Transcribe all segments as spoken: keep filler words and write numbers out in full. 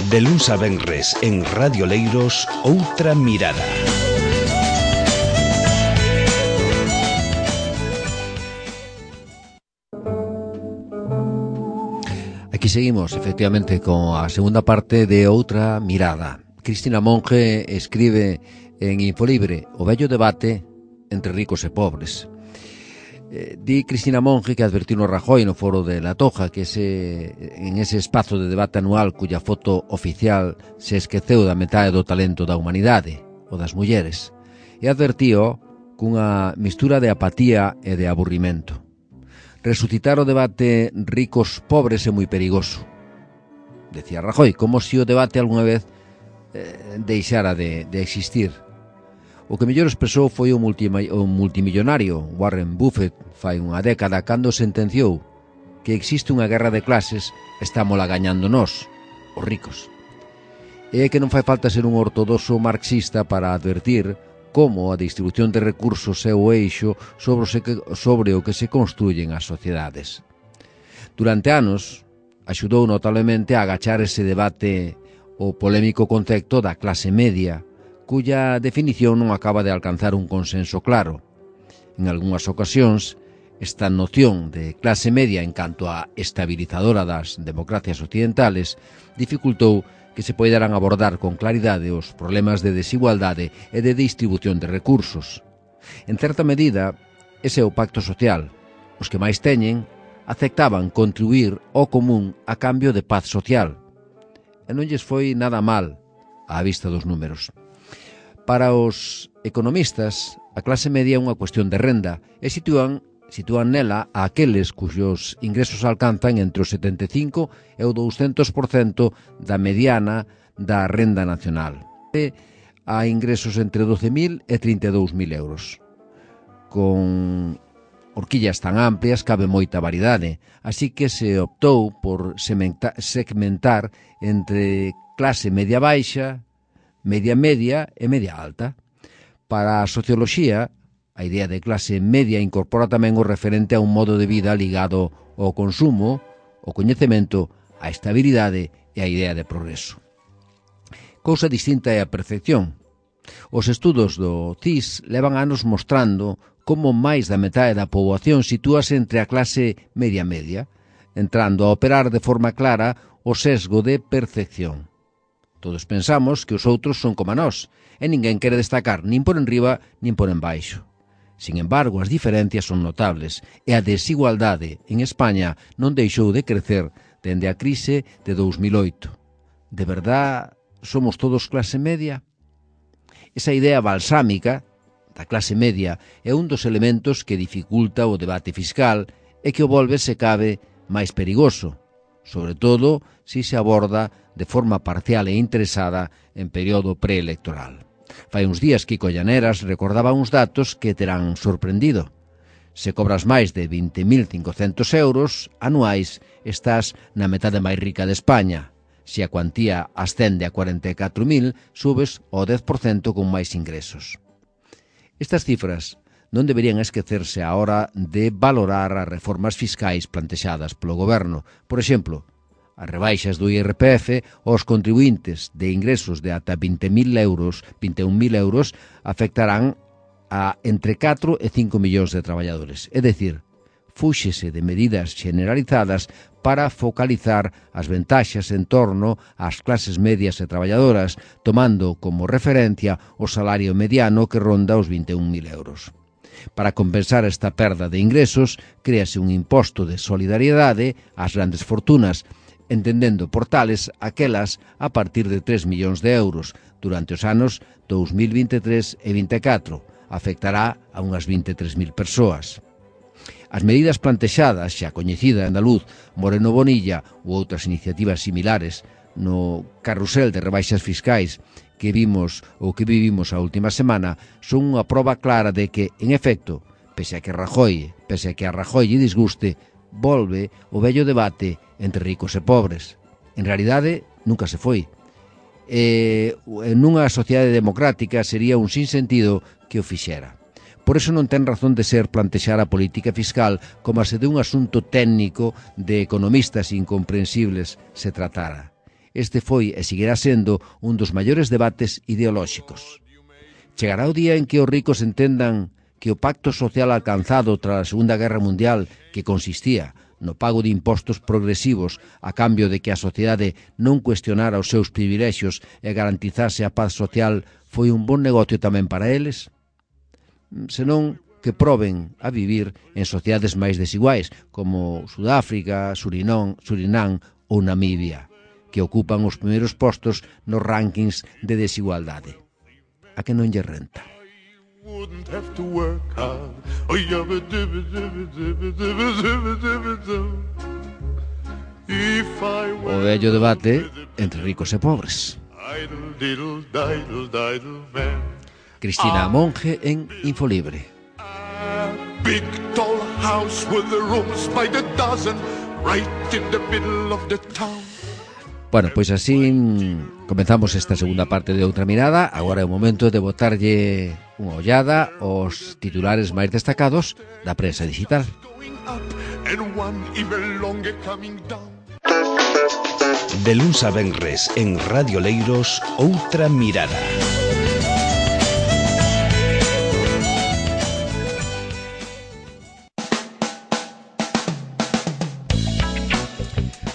De luns a venres en Radio Leiros, Outra Mirada. Aquí seguimos, efectivamente, con a segunda parte de Outra Mirada. Cristina Monge escribe en Infolibre o vello debate entre ricos e pobres. Eh, di Cristina Monge que advertiu no Rajoy no foro de La Toja que ese, en ese espazo de debate anual cuya foto oficial se esqueceu da metade do talento da humanidade, o das mulleres, e advertío cunha mistura de apatía e de aburrimento. Resucitar o debate ricos-pobres é moi perigoso. Decía Rajoy, como se o debate algunha vez eh, deixara de, de existir. O que mellor expresou foi o, multima, o multimillonario Warren Buffett fai unha década cando sentenciou que existe unha guerra de clases e estámola gañando nós, os ricos. E que non fai falta ser un ortodoxo marxista para advertir como a distribución de recursos é o eixo sobre o, se, sobre o que se construyen as sociedades. Durante anos, axudou notablemente a agachar ese debate o polémico concepto da clase media, cuya definición non acaba de alcanzar un consenso claro. En algunhas ocasións, esta noción de clase media en canto a estabilizadora das democracias occidentales dificultou que se poideran abordar con claridade os problemas de desigualdade e de distribución de recursos. En certa medida, ese é o pacto social. Os que máis teñen aceptaban contribuir ao común a cambio de paz social. E non lles foi nada mal á vista dos números. Para os economistas, a clase media é unha cuestión de renda e sitúan, sitúan nela a aqueles cuyos ingresos alcanzan entre o setenta e cinco e o douscentos por cento da mediana da renda nacional. E a ingresos entre doce mil e trinta e dous mil euros. Con horquillas tan amplias cabe moita variedade, así que se optou por segmentar entre clase media baixa, media media e media alta. Para a socioloxía, a idea de clase media incorpora tamén o referente a un modo de vida ligado ao consumo, ao coñecemento, á estabilidade e á idea de progreso. Cousa distinta é a percepción. Os estudos do C I S levan anos mostrando como máis da metade da poboación sitúase entre a clase media-media, entrando a operar de forma clara o sesgo de percepción. Todos pensamos que os outros son como nós, e ninguén quere destacar nin por enriba nin por embaixo. Sin embargo, as diferencias son notables, e a desigualdade en España non deixou de crecer dende a crise de dous mil oito. De verdad, somos todos clase media? Esa idea balsámica da clase media é un dos elementos que dificulta o debate fiscal e que o volve, se cabe, máis perigoso, sobre todo se se aborda de forma parcial e interesada en período preelectoral. Fai uns días Kiko Llaneras recordaba uns datos que terán sorprendido. Se cobras máis de vinte mil cincocentos euros anuais, estás na metade máis rica de España. Se a cuantía ascende a cuarenta e catro mil, subes ao dez por cento con máis ingresos. Estas cifras non deberían esquecerse á hora de valorar as reformas fiscais plantexadas polo goberno. Por exemplo, as rebaixas do I R P F aos contribuintes de ingresos de ata vinte mil euros, vinte e un mil euros, afectarán a entre catro e cinco millóns de traballadores. É dicir, fúxese de medidas generalizadas para focalizar as ventaxas en torno ás clases medias e traballadoras, tomando como referencia o salario mediano que ronda os vinte e un mil euros. Para compensar esta perda de ingresos, créase un imposto de solidariedade ás grandes fortunas, entendendo por tales aquelas a partir de tres millóns de euros durante os anos dous mil vinte e tres e vinte e catro. Afectará a unhas vinte e tres mil persoas. As medidas plantexadas, xa coñecida andaluz, Moreno Bonilla ou outras iniciativas similares no carrusel de rebaixas fiscais que vimos ou que vivimos a última semana son unha proba clara de que, en efecto, pese a que Rajoy, pese a que a Rajoy lle disguste, volve o vello debate entre ricos e pobres. En realidade, nunca se foi. E nunha sociedade democrática sería un sinsentido que o fixera. Por iso non ten razón de ser plantexar a política fiscal como se de un asunto técnico de economistas incomprensibles se tratara. este foi e seguirá sendo un dos maiores debates ideolóxicos. Chegará o día en que os ricos entendan que o pacto social alcanzado tras a Segunda Guerra Mundial, que consistía no pago de impostos progresivos a cambio de que a sociedade non cuestionara os seus privilexios e garantizase a paz social, foi un bon negocio tamén para eles? Senón que proben a vivir en sociedades máis desiguais, como Sudáfrica, Surinón, Surinán ou Namibia, que ocupan os primeiros postos nos rankings de desigualdade. A que non lle renta? Wouldn't have to work hard. Oh, yabba dibba dibba dibba dibba dibba dibba dibba. If I were o vello debate entre ricos e pobres. Idle, diddle, diddle, diddle, man. Cristina Monge en Infolibre. A big tall house with the rooms by the dozen, right in the middle of the town. Bueno, pois así comenzamos esta segunda parte de Outra Mirada. Agora é o momento de botarlle unha ollada aos titulares máis destacados da prensa digital. De luns a venres en Radio Leiros, Outra Mirada.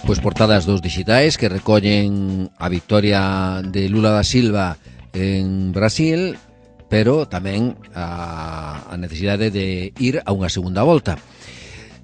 Pois portadas dos digitais que recollen a victoria de Lula da Silva en Brasil, pero tamén a, a necesidade de ir a unha segunda volta.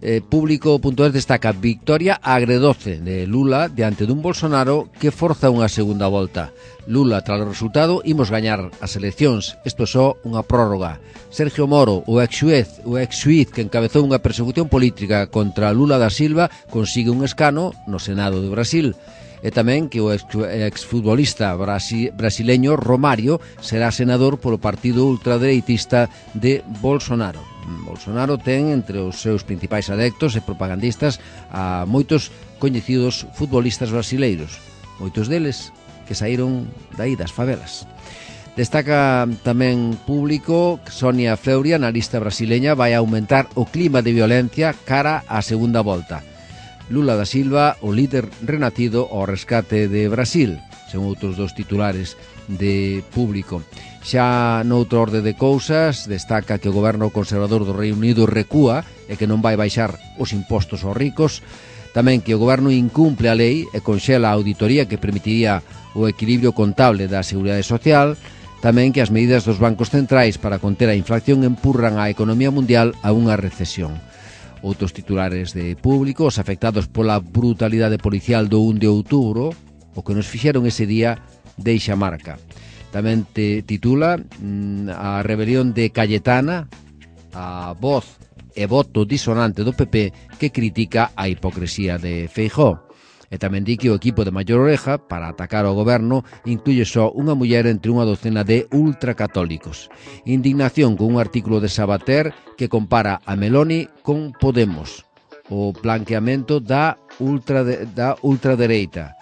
Eh, Público punto es destaca victoria agredoce de Lula diante dun Bolsonaro que forza unha segunda volta. Lula, tras o resultado, imos gañar as eleccións. Isto é só unha prórroga. Sergio Moro, o ex-xuez, o ex-xuiz que encabezou unha persecución política contra Lula da Silva, consigue un escano no Senado de Brasil. E tamén que o exfutbolista brasi, brasileño Romario será senador polo partido ultradereitista de Bolsonaro. Bolsonaro ten entre os seus principais adeptos e propagandistas a moitos coñecidos futbolistas brasileiros, moitos deles que saíron dai das favelas. Destaca tamén Público que Sonia Fleury, analista brasileña, vai aumentar o clima de violencia cara á segunda volta. Lula da Silva, o líder renacido ao rescate de Brasil, son outros dos titulares de Público. Xa noutro orde de cousas, destaca que o goberno conservador do Reino Unido recúa e que non vai baixar os impostos aos ricos. Tamén que o goberno incumple a lei e conxela a auditoría que permitiría o equilibrio contable da Seguridade Social. Tamén que as medidas dos bancos centrais para conter a inflación empurran a economía mundial a unha recesión. Outros titulares de Público, os afectados pola brutalidade policial do un de outubro, o que nos fixeron ese día deixa marca. Tamén te titula mm, a rebelión de Cayetana, a voz e voto disonante do P P que critica a hipocresía de Feijóo. E tamén di que o equipo de Maior Oreja para atacar ao goberno incluye só unha muller entre unha docena de ultracatólicos. Indignación con un artículo de Sabater que compara a Meloni con Podemos, o blanqueamento da, ultra, da ultradereita.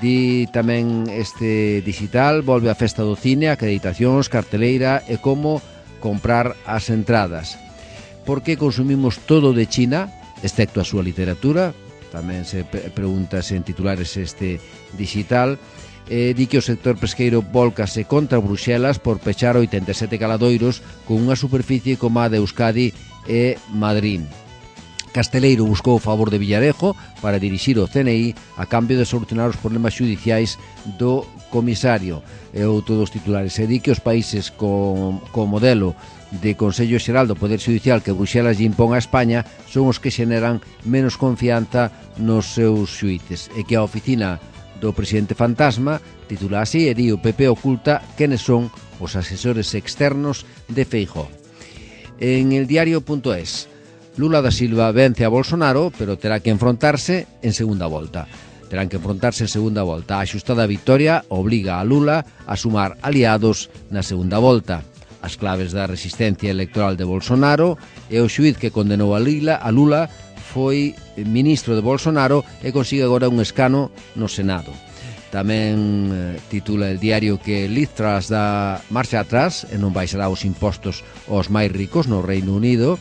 Di tamén este digital, volve a festa do cine, acreditacións, carteleira e como comprar as entradas. Por que consumimos todo de China, excepto a súa literatura? Tamén se pregunta en titulares este digital. Eh, di que o sector pesqueiro volcase contra Bruxelas por pechar oitenta e sete caladoiros con unha superficie como a de Euskadi e Madrid. Casteleiro buscou o favor de Villarejo para dirixir o C N I a cambio de solucionar os problemas xudiciais do comisario. E outro dos titulares é di que os países con, con modelo de Consello Xeral do Poder Xudicial que Bruxelas lle impón a España son os que xeneran menos confianza nos seus xuíces e que a oficina do presidente fantasma titula así e di o P P oculta quenes son os asesores externos de Feijóo. En el diario punto es, Lula da Silva vence a Bolsonaro, pero terá que enfrontarse en segunda volta. Terán que enfrontarse en segunda volta. A axustada victoria obliga a Lula a sumar aliados na segunda volta. As claves da resistencia electoral de Bolsonaro e o xuíz que condenou a Lula, a Lula foi ministro de Bolsonaro e consigue agora un escano no Senado. Tamén eh, titula el diario que Liz Truss dá marcha atrás e non baixará os impostos aos máis ricos no Reino Unido.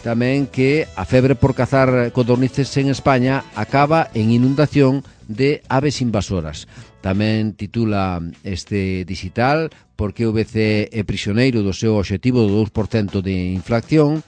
Tamén que a febre por cazar codornices en España acaba en inundación de aves invasoras. Tamén titula este digital porque o B C é prisioneiro do seu obxectivo do dous por cento de inflación.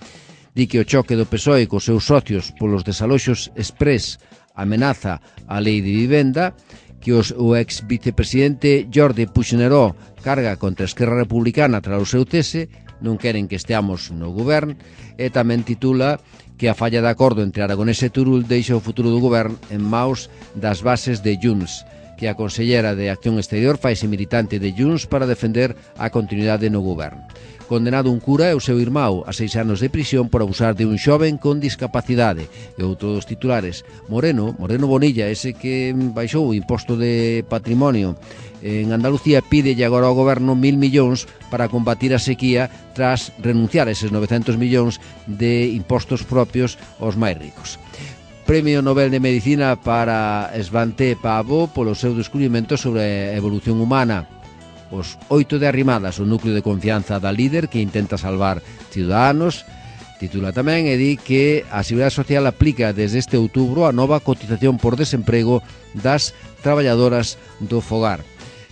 Di que o choque do P S O E cos seus socios polos desaloxos exprés amenaza a lei de vivenda, que os, o ex vicepresidente Jordi Puigneró carga contra a Esquerra Republicana tras o seu cese, non queren que esteamos no govern, e tamén titula que a falla de acordo entre Aragonés e Turul deixa o futuro do govern en maus das bases de Junts, que a consellera de Acción Exterior faise militante de Junts para defender a continuidade no govern. Condenado un cura e o seu irmão a seis anos de prisión por abusar de un xoven con discapacidade. E outro dos titulares, Moreno, Moreno Bonilla, ese que baixou o imposto de patrimonio en Andalucía, pide agora ao goberno mil millóns para combatir a sequía tras renunciar a eses novecentos millóns de impostos propios aos máis ricos. Premio Nobel de Medicina para Svante Pääbo polo seu descubrimento sobre a evolución humana. Os oito de Arrimadas, o núcleo de confianza da líder que intenta salvar ciudadanos. Titula tamén e di que a Seguridade Social aplica desde este outubro a nova cotización por desemprego das traballadoras do fogar.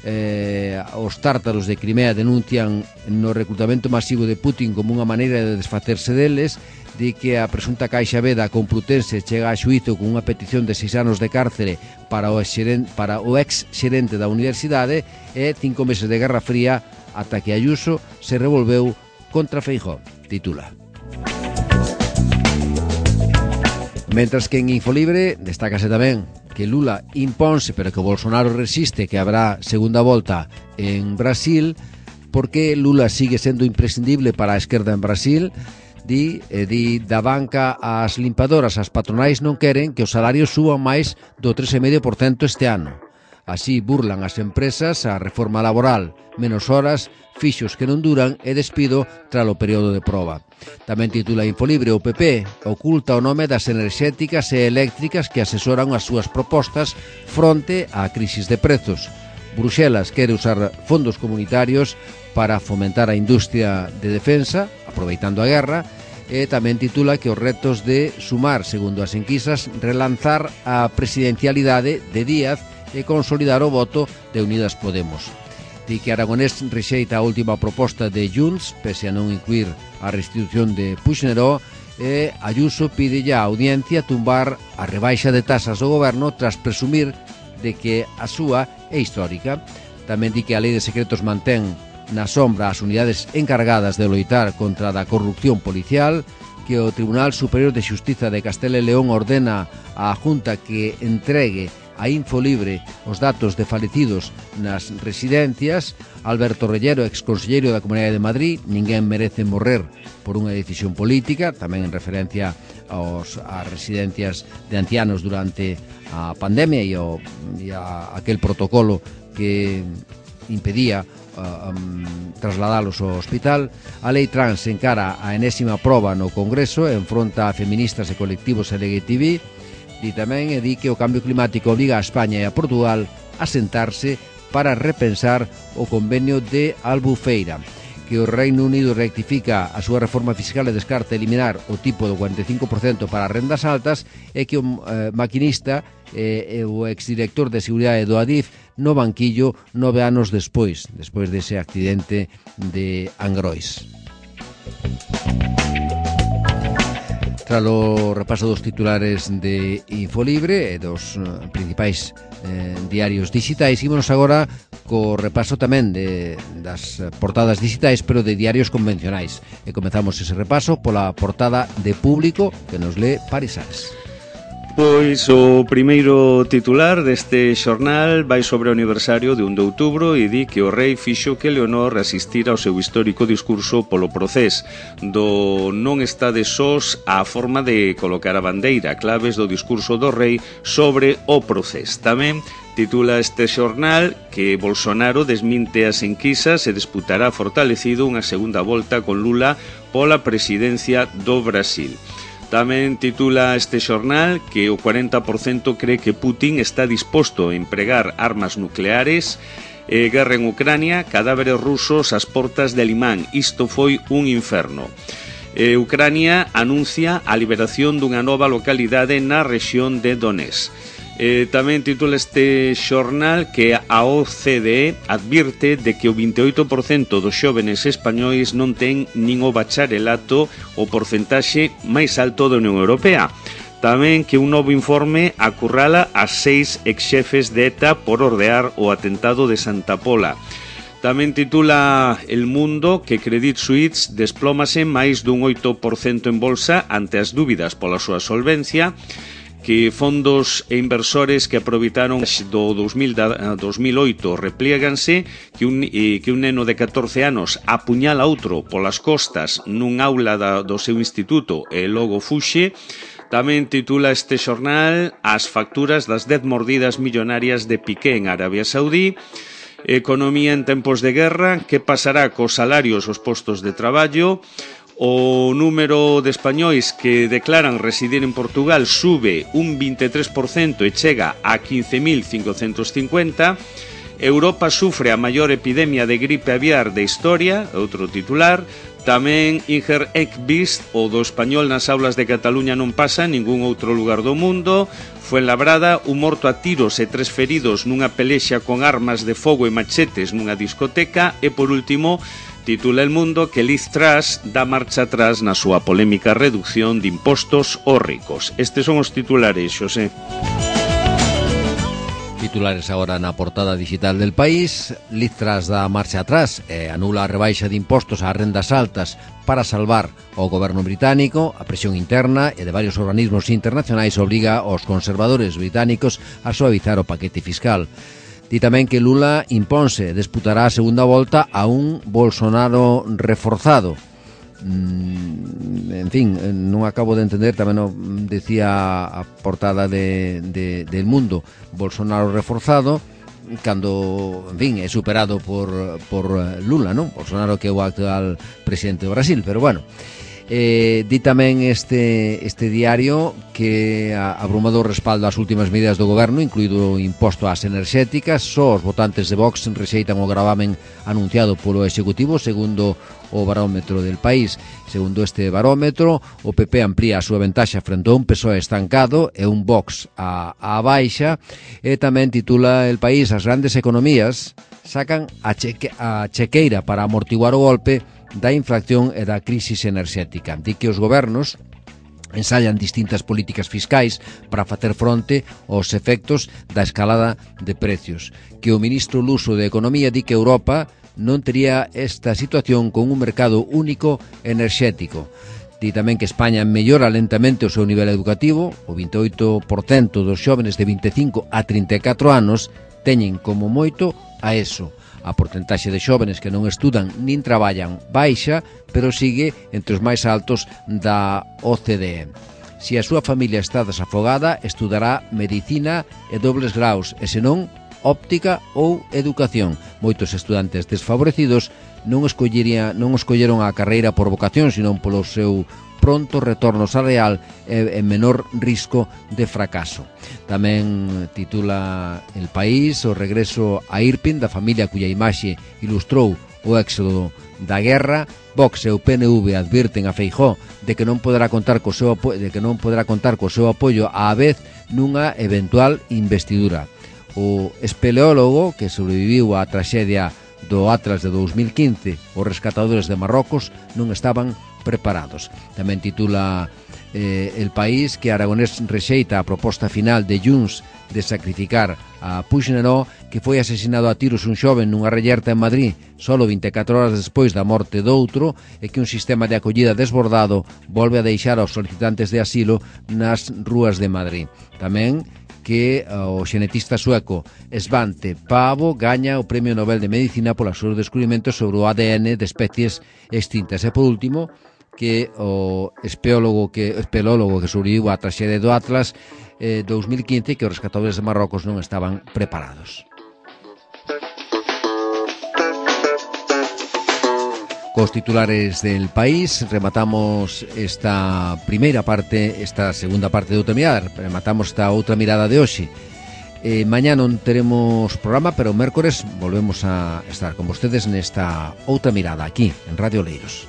Eh, os tártaros de Crimea denuncian no reclutamento masivo de Putin como unha maneira de desfacerse deles. Di que a presunta Caixa B da Complutense chega a xuízo con unha petición de seis anos de cárcere para o ex-xerente, para o ex-xerente da universidade e cinco meses de Guerra Fría ata que Ayuso se revolveu contra Feijóo, titula. Mentras que en Infolibre destácase tamén que Lula imponse pero que Bolsonaro resiste que habrá segunda volta en Brasil, porque Lula sigue sendo imprescindible para a esquerda en Brasil. Di, eh, di da banca ás limpadoras, as patronais non queren que os salarios suban máis do tres vírgula cinco por cento este ano. Así burlan as empresas a reforma laboral, menos horas, fixos que non duran e despido tras o período de proba. Tamén titula Infolibre, o P P oculta o nome das enerxéticas e eléctricas que asesoran as súas propostas fronte á crisis de prezos. Bruxelas quere usar fondos comunitarios para fomentar a industria de defensa, aproveitando a guerra, e tamén titula que os retos de Sumar, segundo as enquisas, relanzar a presidencialidade de Díaz e consolidar o voto de Unidas Podemos. Di que Aragonés rexeita a última proposta de Junts, pese a non incluir a restitución de Puigneró, e Ayuso pide ya a audiencia tumbar a rebaixa de tasas do goberno tras presumir de que a súa é histórica. Tamén di que a lei de secretos mantén na sombra as unidades encargadas de loitar contra a corrupción policial, que o Tribunal Superior de Xustiza de Castela e León ordena á Junta que entregue a Infolibre os datos de falecidos nas residencias. Alberto Rellero, exconselleiro da Comunidade de Madrid, ninguén merece morrer por unha decisión política, tamén en referencia aos, ás residencias de ancianos durante a pandemia e, o, e a, aquel protocolo que impedía uh, um, trasladalos ao hospital. A lei trans encara a enésima proba no Congreso e enfronta a feministas e colectivos L G T B. Di tamén e di que o cambio climático obriga a España e a Portugal a sentarse para repensar o convenio de Albufeira, que o Reino Unido rectifica a súa reforma fiscal e descarta eliminar o tipo do cuarenta e cinco por cento para rendas altas, e que o eh, maquinista e eh, o exdirector de seguridade do Adif no banquillo nove anos despois, despois dese accidente de Angrois. Tras o repaso dos titulares de Infolibre e dos uh, principais eh, diarios digitais, ímonos agora co repaso tamén de, das portadas digitais, pero de diarios convencionais. E comezamos ese repaso pola portada de Público, que nos lee Paris Ares. Pois o primeiro titular deste xornal vai sobre o aniversario de un de outubro e di que o rei fixo que Leonor asistira ao seu histórico discurso polo procés do non estade sós á forma de colocar a bandeira, claves do discurso do rei sobre o procés. Tamén titula este xornal que Bolsonaro desminte as enquisas e disputará fortalecido unha segunda volta con Lula pola presidencia do Brasil. Tamén titula este xornal que o cuarenta por cento cree que Putin está disposto a empregar armas nucleares e guerra en Ucrania, cadáveres rusos ás portas de Limán. Isto foi un inferno. E Ucrania anuncia a liberación dunha nova localidade na rexión de Donetsk. Eh, tamén titula este xornal que a O C D E advirte de que o vinte e oito por cento dos xóvenes españois non ten nin o bacharelato, o porcentaxe máis alto da Unión Europea. Tamén que un novo informe acurrala a seis exxefes de ETA por ordear o atentado de Santa Pola. Tamén titula El Mundo que Credit Suisse desplómase máis dun oito por cento en bolsa ante as dúbidas pola súa solvencia, que fondos e inversores que aproveitaron do dos mil oito replieganse, que un, eh, que un neno de catorce anos apuñala outro polas costas nun aula da, do seu instituto e logo fuxe. Tamén titula este xornal As facturas das dez mordidas millonarias de Piqué en Arabia Saudí. Economía en tempos de guerra, que pasará cos salarios os postos de traballo. O número de españois que declaran residir en Portugal sube un vinte e tres por cento e chega a quince mil cincocentos cincuenta. Europa sufre a maior epidemia de gripe aviar de historia, outro titular. Tamén Inger Ekvist, o do español nas aulas de Cataluña non pasa en ningún outro lugar do mundo. Fuenlabrada, un morto a tiros e tres feridos nunha pelexa con armas de fogo e machetes nunha discoteca. E por último, titula El Mundo que Liz Truss dá marcha atrás na súa polémica reducción de impostos aos ricos. Estes son os titulares, Xosé. Titulares agora na portada digital del País. Liz Truss dá marcha atrás e anula a rebaixa de impostos ás rendas altas para salvar o goberno británico. A presión interna e de varios organismos internacionais obriga aos conservadores británicos a suavizar o paquete fiscal. Di tamén que Lula imponse, disputará a segunda volta a un Bolsonaro reforzado. Mm, en fin, non acabo de entender, tamén o decía a portada de, de, del Mundo, Bolsonaro reforzado, cando, en fin, é superado por, por Lula, non? Bolsonaro que é o actual presidente do Brasil, pero bueno. Eh, di tamén este, este diario que a, abrumador respaldo ás últimas medidas do goberno, incluído o imposto ás enerxéticas. Só os votantes de Vox rexeitan o gravamen anunciado polo Executivo, segundo o barómetro del País. Segundo este barómetro, o P P amplía a súa ventaxa frente a un P S O E estancado e un Vox a, a baixa. E tamén titula El País: as grandes economías sacan a, cheque, a chequeira para amortiguar o golpe da inflación e da crisis enerxética. Di que os gobernos ensayan distintas políticas fiscais para facer fronte aos efectos da escalada de precios. Que o ministro luso de Economía di que Europa non tería esta situación con un mercado único enerxético. Di tamén que España mellora lentamente o seu nivel educativo. O vinte e oito por cento dos xóvenes de vinte e cinco a trinta e catro anos teñen como moito a ESO. A porcentaxe de xóvenes que non estudan nin traballan baixa, pero sigue entre os máis altos da O C D E. Se a súa familia está desafogada, estudará medicina e dobles graus, e senón óptica ou educación. Moitos estudantes desfavorecidos non escollería, non escolleron a carreira por vocación, senón polo seu pronto retorno salarial e, e menor risco de fracaso. Tamén titula El País o regreso a Irpin da familia cuya imaxe ilustrou o éxodo da guerra. Vox e o P N V advirten a Feijóo de que non poderá contar co seu apoio, de que non poderá contar co seu apoio á vez nunha eventual investidura. O espeleólogo que sobreviviu á traxedia do Atlas de dos mil quince, os rescatadores de Marrocos non estaban preparados. Tamén titula eh, El País que Aragonés rexeita a proposta final de Junts de sacrificar a Puigneró, que foi asesinado a tiros un xoven nunha rellerta en Madrid solo vinte e catro horas despois da morte doutro, e que un sistema de acollida desbordado volve a deixar aos solicitantes de asilo nas rúas de Madrid. Tamén que o xenetista sueco Svante Pavo gaña o Premio Nobel de Medicina polos seus descubrimentos sobre o A D N de especies extintas. E por último, que o espeólogo que espeleólogo que sobreviviu a traxedia do Atlas eh, dos mil quince, que os rescatadores de Marrocos non estaban preparados. Cos titulares del País rematamos esta primeira parte, esta segunda parte de Outra Mirada, rematamos esta Outra Mirada de hoxe. Eh, mañá non teremos programa, pero o mércores volvemos a estar con vostedes nesta Outra Mirada aquí en Radio Oleiros.